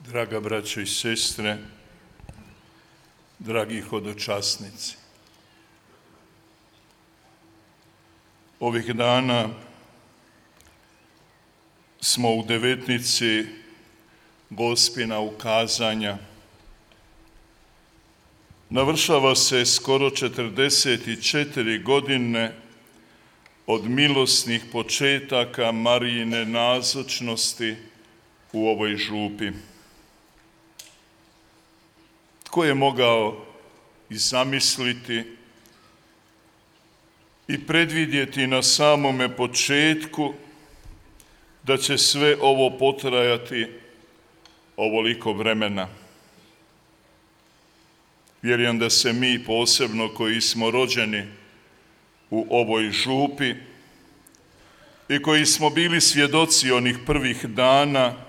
Draga braćo i sestre, dragi hodočasnici. Ovih dana smo u devetnici Gospina ukazanja. Navršava se skoro 44 godine od milosnih početaka Marijine nazočnosti u ovoj župi. Tko je mogao i zamisliti i predvidjeti na samome početku da će sve ovo potrajati ovoliko vremena? Vjerujem da se mi posebno koji smo rođeni u ovoj župi i koji smo bili svjedoci onih prvih dana,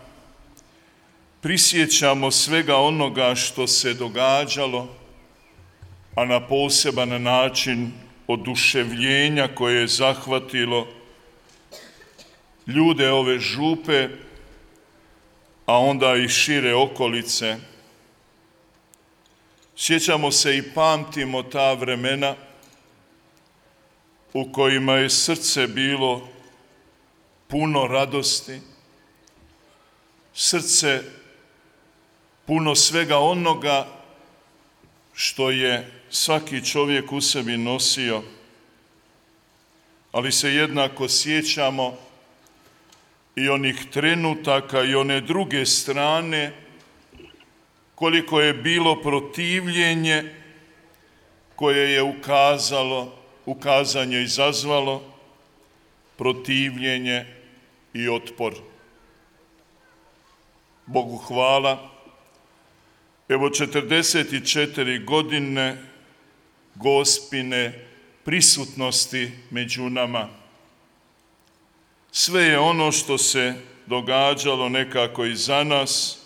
prisjećamo svega onoga što se događalo, a na poseban način oduševljenja koje je zahvatilo ljude ove župe, a onda i šire okolice. Sjećamo se i pamtimo ta vremena u kojima je srce bilo puno radosti, srce puno svega onoga što je svaki čovjek u sebi nosio, ali se jednako sjećamo i onih trenutaka i one druge strane, koliko je bilo protivljenje koje je ukazanje izazvalo, protivljenje i otpor. Bogu hvala, evo 44 godine Gospine prisutnosti među nama. Sve je ono što se događalo nekako i za nas,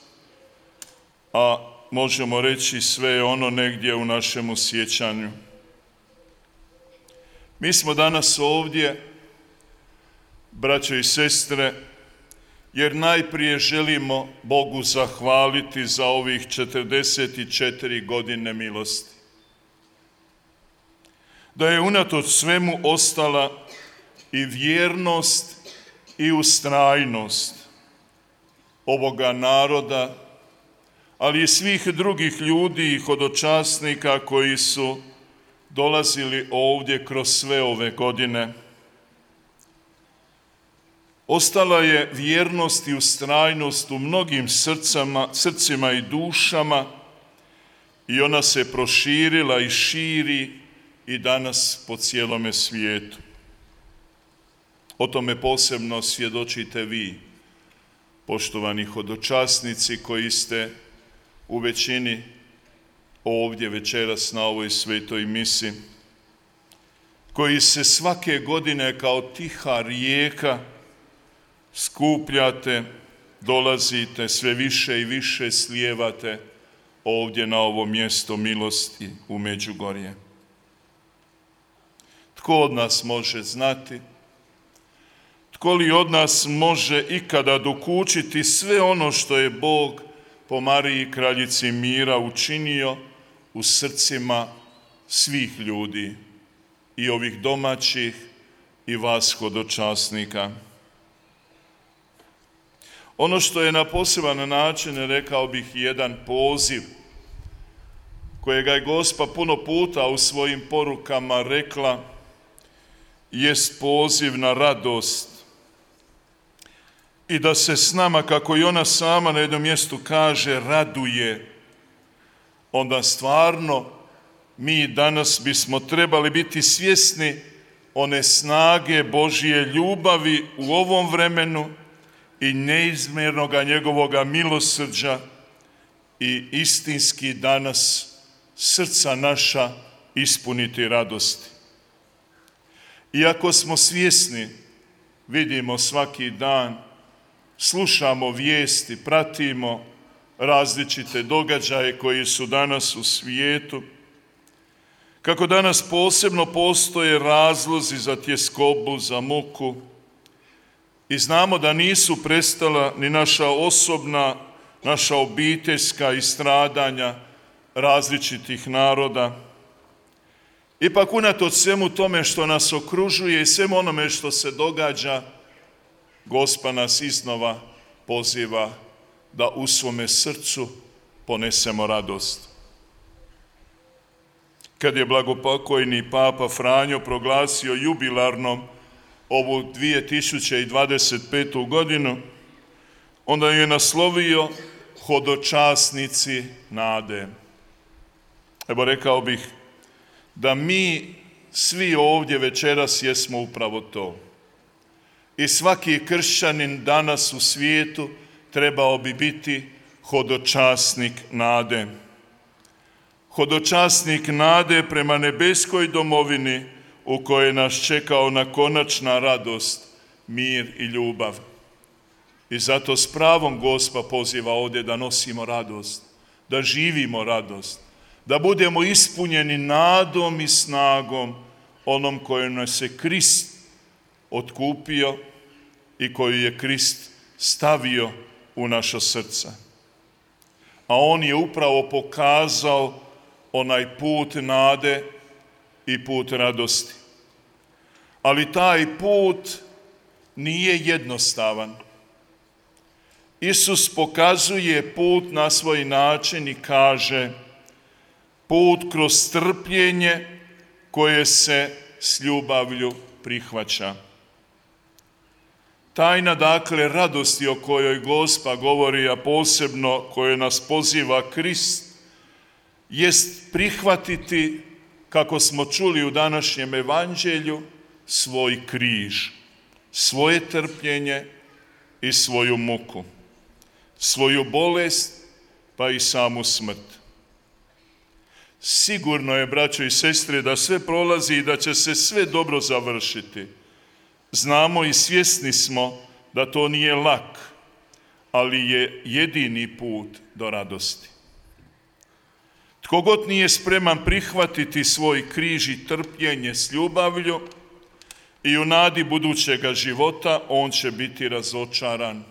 a možemo reći sve je ono negdje u našemu sjećanju. Mi smo danas ovdje, braćo i sestre, jer najprije želimo Bogu zahvaliti za ovih 44 godine milosti. Da je unatoč svemu ostala i vjernost i ustrajnost ovoga naroda, ali i svih drugih ljudi i hodočasnika koji su dolazili ovdje kroz sve ove godine. Ostala je vjernost i ustrajnost u mnogim srcima i dušama i ona se proširila i širi i danas po cijelome svijetu. O tome posebno svjedočite vi, poštovani hodočasnici koji ste u većini ovdje večeras na ovoj svetoj misi, koji se svake godine kao tiha rijeka skupljate, dolazite, sve više i više slijevate ovdje na ovo mjesto milosti u Međugorje. Tko od nas može znati, tko li od nas može ikada dokučiti sve ono što je Bog po Mariji kraljici mira učinio u srcima svih ljudi, i ovih domaćih i vas hodočasnika. Ono što je na poseban način, rekao bih, jedan poziv kojega je Gospa puno puta u svojim porukama rekla, jest poziv na radost i da se s nama, kako i ona sama na jednom mjestu kaže, raduje. Onda stvarno mi danas bismo trebali biti svjesni one snage Božje ljubavi u ovom vremenu i neizmjernoga njegovoga milosrđa i istinski danas srca naša ispuniti radosti. Iako smo svjesni, vidimo svaki dan, slušamo vijesti, pratimo različite događaje koji su danas u svijetu, kako danas posebno postoje razlozi za tjeskobu, za muku, i znamo da nisu prestala ni naša osobna naša obiteljska i stradanja različitih naroda. Ipak unatoč svemu tome što nas okružuje i svemu onome što se događa, Gospod nas iznova poziva da u svome srcu ponesemo radost. Kad je blagopokojni Papa Franjo proglasio jubilarnom ovu 2025. godinu, onda je naslovio Hodočasnici nade. Evo, rekao bih da mi svi ovdje večeras jesmo upravo to. I svaki kršćanin danas u svijetu trebao bi biti hodočasnik nade. Hodočasnik nade prema nebeskoj domovini u kojoj nas čeka ona konačna radost, mir i ljubav. I zato s pravom Gospa poziva ovdje da nosimo radost, da živimo radost, da budemo ispunjeni nadom i snagom onom kojom nas je Krist otkupio i koju je Krist stavio u naša srca. A on je upravo pokazao onaj put nade i put radosti. Ali taj put nije jednostavan. Isus pokazuje put na svoj način i kaže: put kroz strpljenje koje se s ljubavlju prihvaća. Tajna, dakle, radosti o kojoj Gospa govori, a posebno kojoj nas poziva Krist, jest prihvatiti, kako smo čuli u današnjem evanđelju, svoj križ, svoje trpljenje i svoju muku, svoju bolest, pa i samu smrt. Sigurno je, braćo i sestre, da sve prolazi i da će se sve dobro završiti. Znamo i svjesni smo da to nije lak, ali je jedini put do radosti. Tko god nije spreman prihvatiti svoj križ i trpljenje s ljubavlju i u nadi budućega života, on će biti razočaran,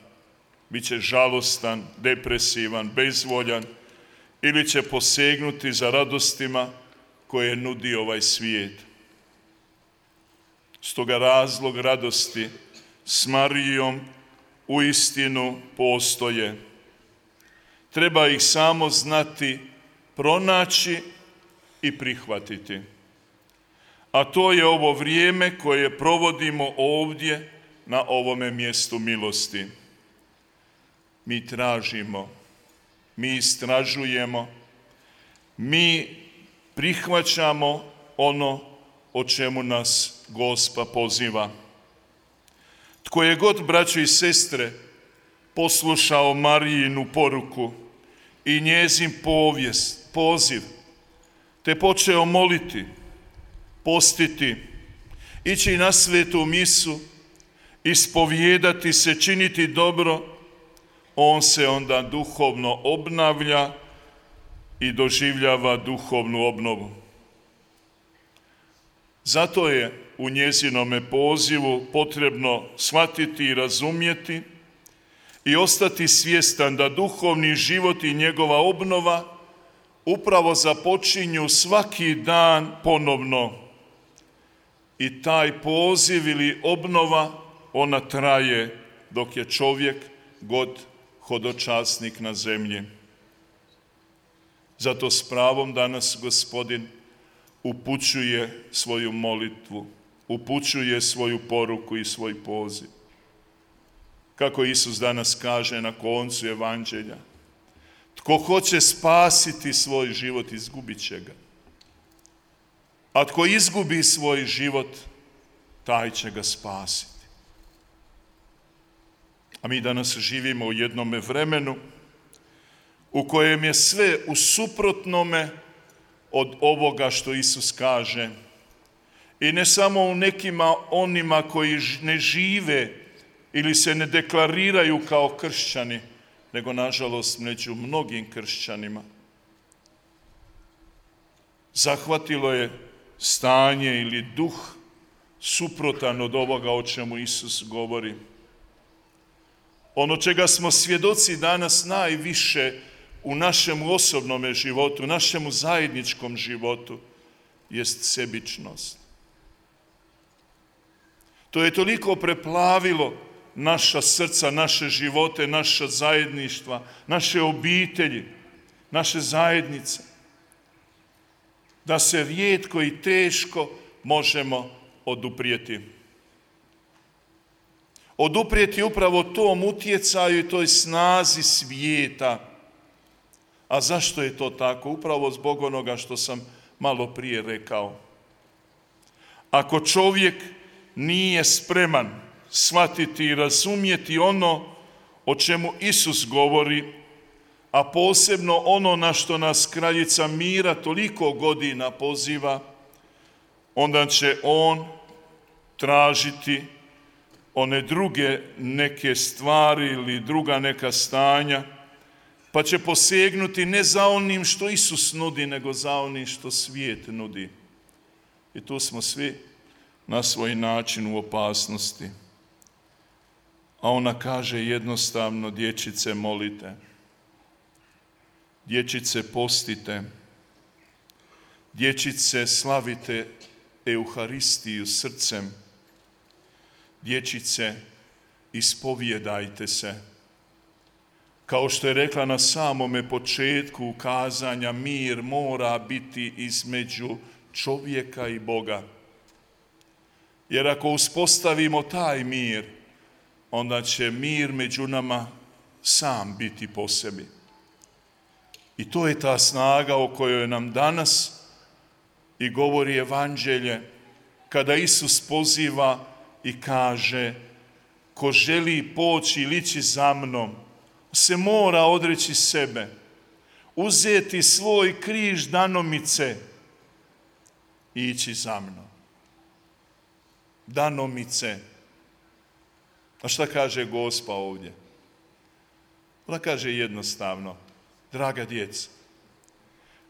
bit će žalostan, depresivan, bezvoljan ili će posegnuti za radostima koje nudi ovaj svijet. Stoga razlog radosti s Marijom uistinu postoje. Treba ih samo znati, pronaći i prihvatiti. A to je ovo vrijeme koje provodimo ovdje na ovome mjestu milosti. Mi tražimo, mi istražujemo, mi prihvaćamo ono o čemu nas Gospa poziva. Tko je god, braćo i sestre, poslušao Marijinu poruku i njezin poziv, te počeo moliti, postiti, ići na svetu misu, ispovijedati se, činiti dobro, on se onda duhovno obnavlja i doživljava duhovnu obnovu. Zato je u njezinome pozivu potrebno shvatiti i razumjeti i ostati svjestan da duhovni život i njegova obnova upravo započinju svaki dan ponovno. I taj poziv ili obnova, ona traje dok je čovjek god hodočasnik na zemlji. Zato s pravom danas Gospodin upućuje svoju molitvu, upućuje svoju poruku i svoj poziv. Kako Isus danas kaže na koncu evanđelja: tko hoće spasiti svoj život, izgubit će ga. A tko izgubi svoj život, taj će ga spasiti. A mi danas živimo u jednome vremenu u kojem je sve u suprotnome od ovoga što Isus kaže. I ne samo u nekima onima koji ne žive ili se ne deklariraju kao kršćani, nego nažalost među mnogim kršćanima. Zahvatilo je stanje ili duh suprotan od ovoga o čemu Isus govori. ono čega smo svjedoci danas najviše u našem osobnom životu, u našem zajedničkom životu, jest sebičnost. To je toliko preplavilo naša srca, naše živote, naša zajedništva, naše obitelji, naše zajednice, da se rijetko i teško možemo oduprijeti. Oduprijeti upravo tom utjecaju i toj snazi svijeta. A zašto je to tako? Upravo zbog onoga što sam malo prije rekao. Ako čovjek nije spreman shvatiti i razumjeti ono o čemu Isus govori, a posebno ono na što nas kraljica mira toliko godina poziva, onda će on tražiti one druge neke stvari ili druga neka stanja, pa će posegnuti ne za onim što Isus nudi, nego za onim što svijet nudi. I tu smo svi na svoj način u opasnosti. A ona kaže jednostavno: dječice, molite, dječice, postite, dječice, slavite Euharistiju srcem, dječice, ispovijedajte se. Kao što je rekla na samome početku ukazanja, mir mora biti između čovjeka i Boga. Jer ako uspostavimo taj mir, onda će mir među nama sam biti po sebi. I to je ta snaga o kojoj nam danas i govori evanđelje, kada Isus poziva i kaže: ko želi poći ili ići za mnom, se mora odreći sebe, uzeti svoj križ danomice i ići za mnom. Danomice. A šta kaže Gospa ovdje? Ona kaže jednostavno: draga djeca,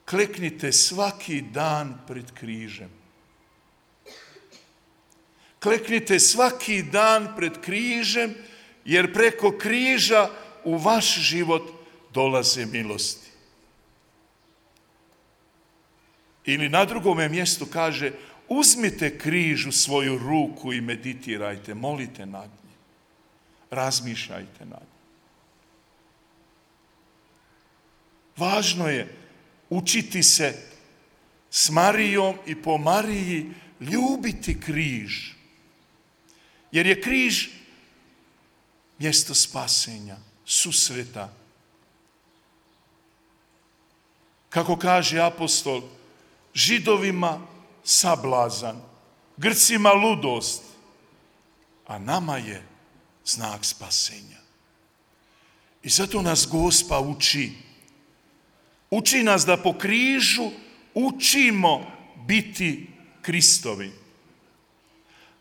kleknite svaki dan pred križem. Kleknite svaki dan pred križem, jer preko križa u vaš život dolaze milosti. Ili na drugome mjestu kaže: uzmite križ u svoju ruku i meditirajte, molite nad njim, razmišljajte nad njim. Važno je učiti se s Marijom i po Mariji ljubiti križ, jer je križ mjesto spasenja, susreta. Kako kaže apostol, Židovima sablazan, Grcima ludost, a nama je znak spasenja. I zato nas Gospa uči. Uči nas da po križu učimo biti Kristovi.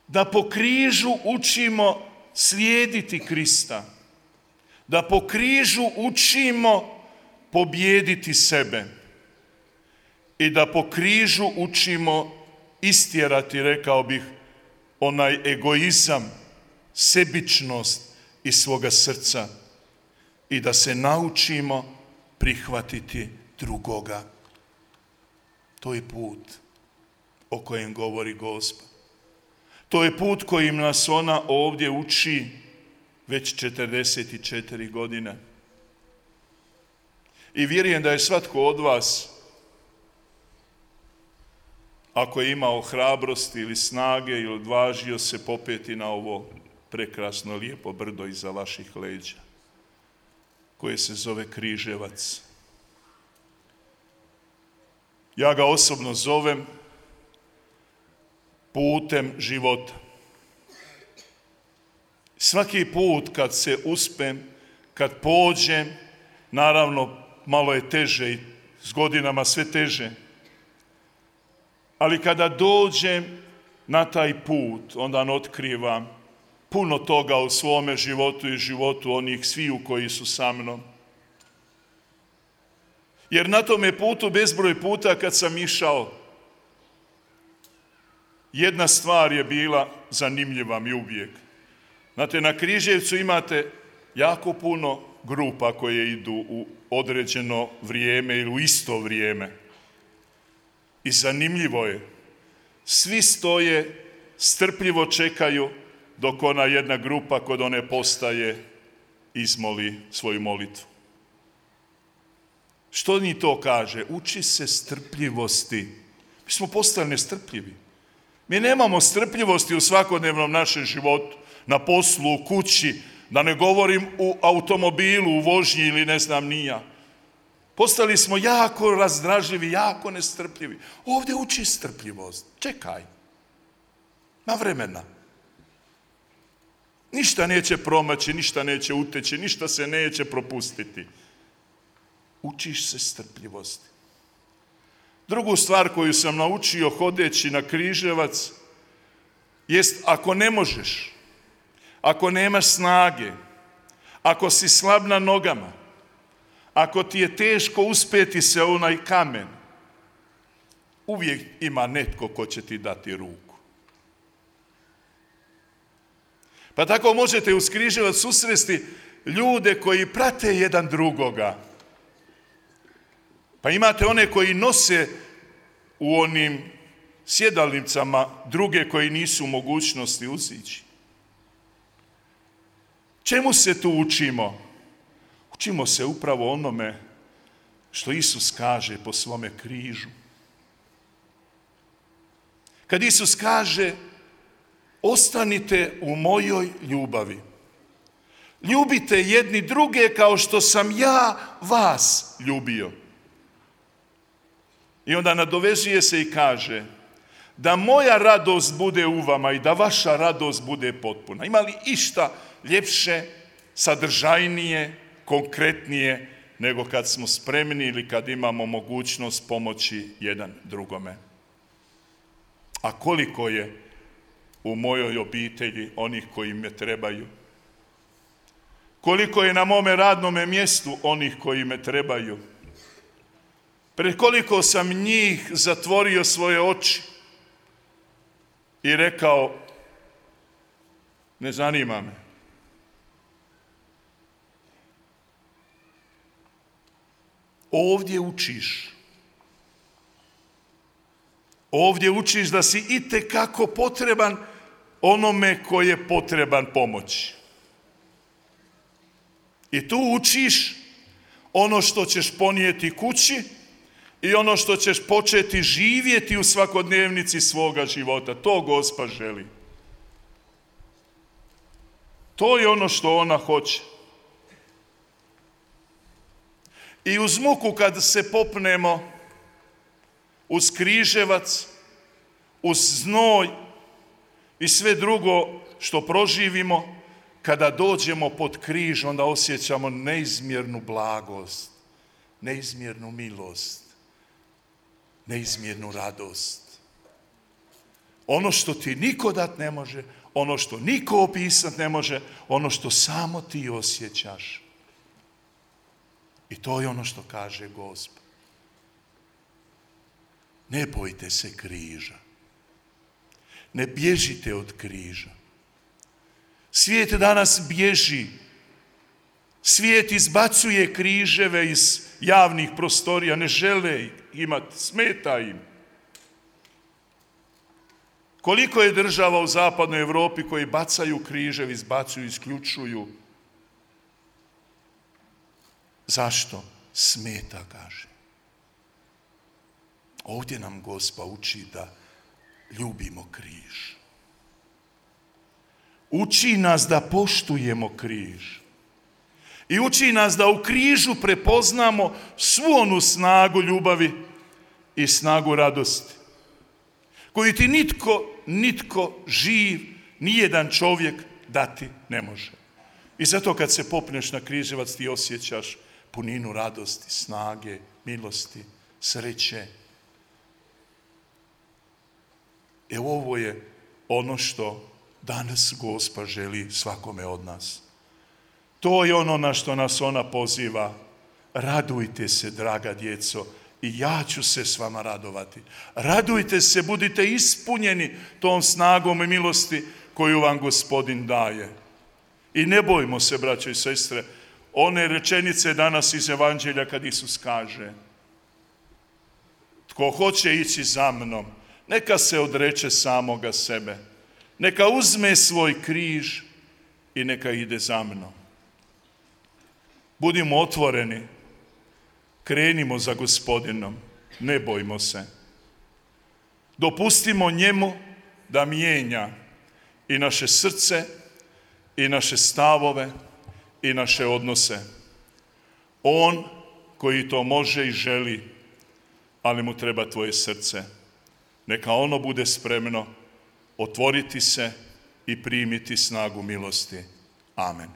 Da po križu učimo slijediti Krista. Da po križu učimo pobijediti sebe. I da po križu učimo istjerati, rekao bih, onaj egoizam, sebičnost iz svoga srca. I da se naučimo prihvatiti drugoga. To je put o kojem govori Gospa. To je put kojim nas ona ovdje uči već 44 godine. I vjerujem da je svatko od vas, ako je imao hrabrosti ili snage ili odvažio se popeti na ovo prekrasno lijepo brdo iza vaših leđa, koje se zove Križevac. Ja ga osobno zovem putem života. Svaki put kad se uspem, kad pođem, naravno malo je teže i s godinama sve teže, ali kada dođem na taj put, onda otkrivam puno toga u svome životu i životu onih sviju koji su sa mnom. Jer na tome putu bezbroj puta kad sam išao, jedna stvar je bila zanimljiva mi uvijek. Znate, na Križevcu imate jako puno grupa koje idu u određeno vrijeme ili u isto vrijeme. I zanimljivo je, svi stoje, strpljivo čekaju dok ona jedna grupa kod one postaje izmoli svoju molitvu. Što mi to kaže? Uči se strpljivosti. Mi smo postali nestrpljivi. Mi nemamo strpljivosti u svakodnevnom našem životu, na poslu, u kući, da ne govorim u automobilu, u vožnji ili ne znam ni ja. Postali smo jako razdražljivi, jako nestrpljivi. Ovdje uči strpljivost. Čekaj. Na vremena. Ništa neće promaći, ništa neće uteći, ništa se neće propustiti. Učiš se strpljivosti. Drugu stvar koju sam naučio hodeći na Križevac jest ako ne možeš, ako nemaš snage, ako si slab na nogama, ako ti je teško uspjeti se u onaj kamen, uvijek ima netko ko će ti dati ruku. Pa tako možete uz Križevac susresti ljude koji prate jedan drugoga. Pa imate one koji nose u onim sjedalnicama druge koji nisu u mogućnosti uzići. Čemu se tu učimo? Učimo se upravo onome što Isus kaže po svome križu. Kad Isus kaže, ostanite u mojoj ljubavi. Ljubite jedni druge kao što sam ja vas ljubio. I onda nadovezuje se i kaže, da moja radost bude u vama i da vaša radost bude potpuna. Ima li išta ljepše, sadržajnije, konkretnije, nego kad smo spremni ili kad imamo mogućnost pomoći jedan drugome? A koliko je u mojoj obitelji onih koji me trebaju? Koliko je na mome radnome mjestu onih koji me trebaju? Pred koliko sam njih zatvorio svoje oči i rekao, ne zanima me. Ovdje učiš. Ovdje učiš da si itekako potreban onome koji je potreban pomoći. I tu učiš ono što ćeš ponijeti kući i ono što ćeš početi živjeti u svakodnevnici svoga života. To Gospa želi. To je ono što ona hoće. I uz muku kad se popnemo, uz Križevac, uz znoj i sve drugo što proživimo, kada dođemo pod križ, onda osjećamo neizmjernu blagost, neizmjernu milost, neizmjernu radost. Ono što ti niko dat ne može, ono što niko opisat ne može, ono što samo ti osjećaš. I to je ono što kaže Gospa. Ne bojte se križa. Ne bježite od križa. Svijet danas bježi. Svijet izbacuje križeve iz javnih prostorija, ne žele imati, smeta im. Koliko je država u zapadnoj Europi koji bacaju križeve, izbacuju, isključuju. Zašto? Smeta, kaže. Ovdje nam Gospa uči da ljubimo križ. Uči nas da poštujemo križ. I uči nas da u križu prepoznamo svu onu snagu ljubavi i snagu radosti, koju ti nitko živ, nijedan čovjek dati ne može. I zato kad se popneš na Križevac ti osjećaš puninu radosti, snage, milosti, sreće. Ovo je ono što danas Gospa želi svakome od nas. To je ono na što nas ona poziva. Radujte se, draga djeco, i ja ću se s vama radovati. Radujte se, budite ispunjeni tom snagom i milosti koju vam Gospodin daje. I ne bojmo se, braćo i sestre, one rečenice danas iz Evanđelja kad Isus kaže: tko hoće ići za mnom, neka se odreče samoga sebe, neka uzme svoj križ i neka ide za mnom. Budimo otvoreni, krenimo za Gospodinom, ne bojmo se. Dopustimo njemu da mijenja i naše srce, i naše stavove, i naše odnose. On koji to može i želi, ali mu treba tvoje srce. Neka ono bude spremno otvoriti se i primiti snagu milosti. Amen.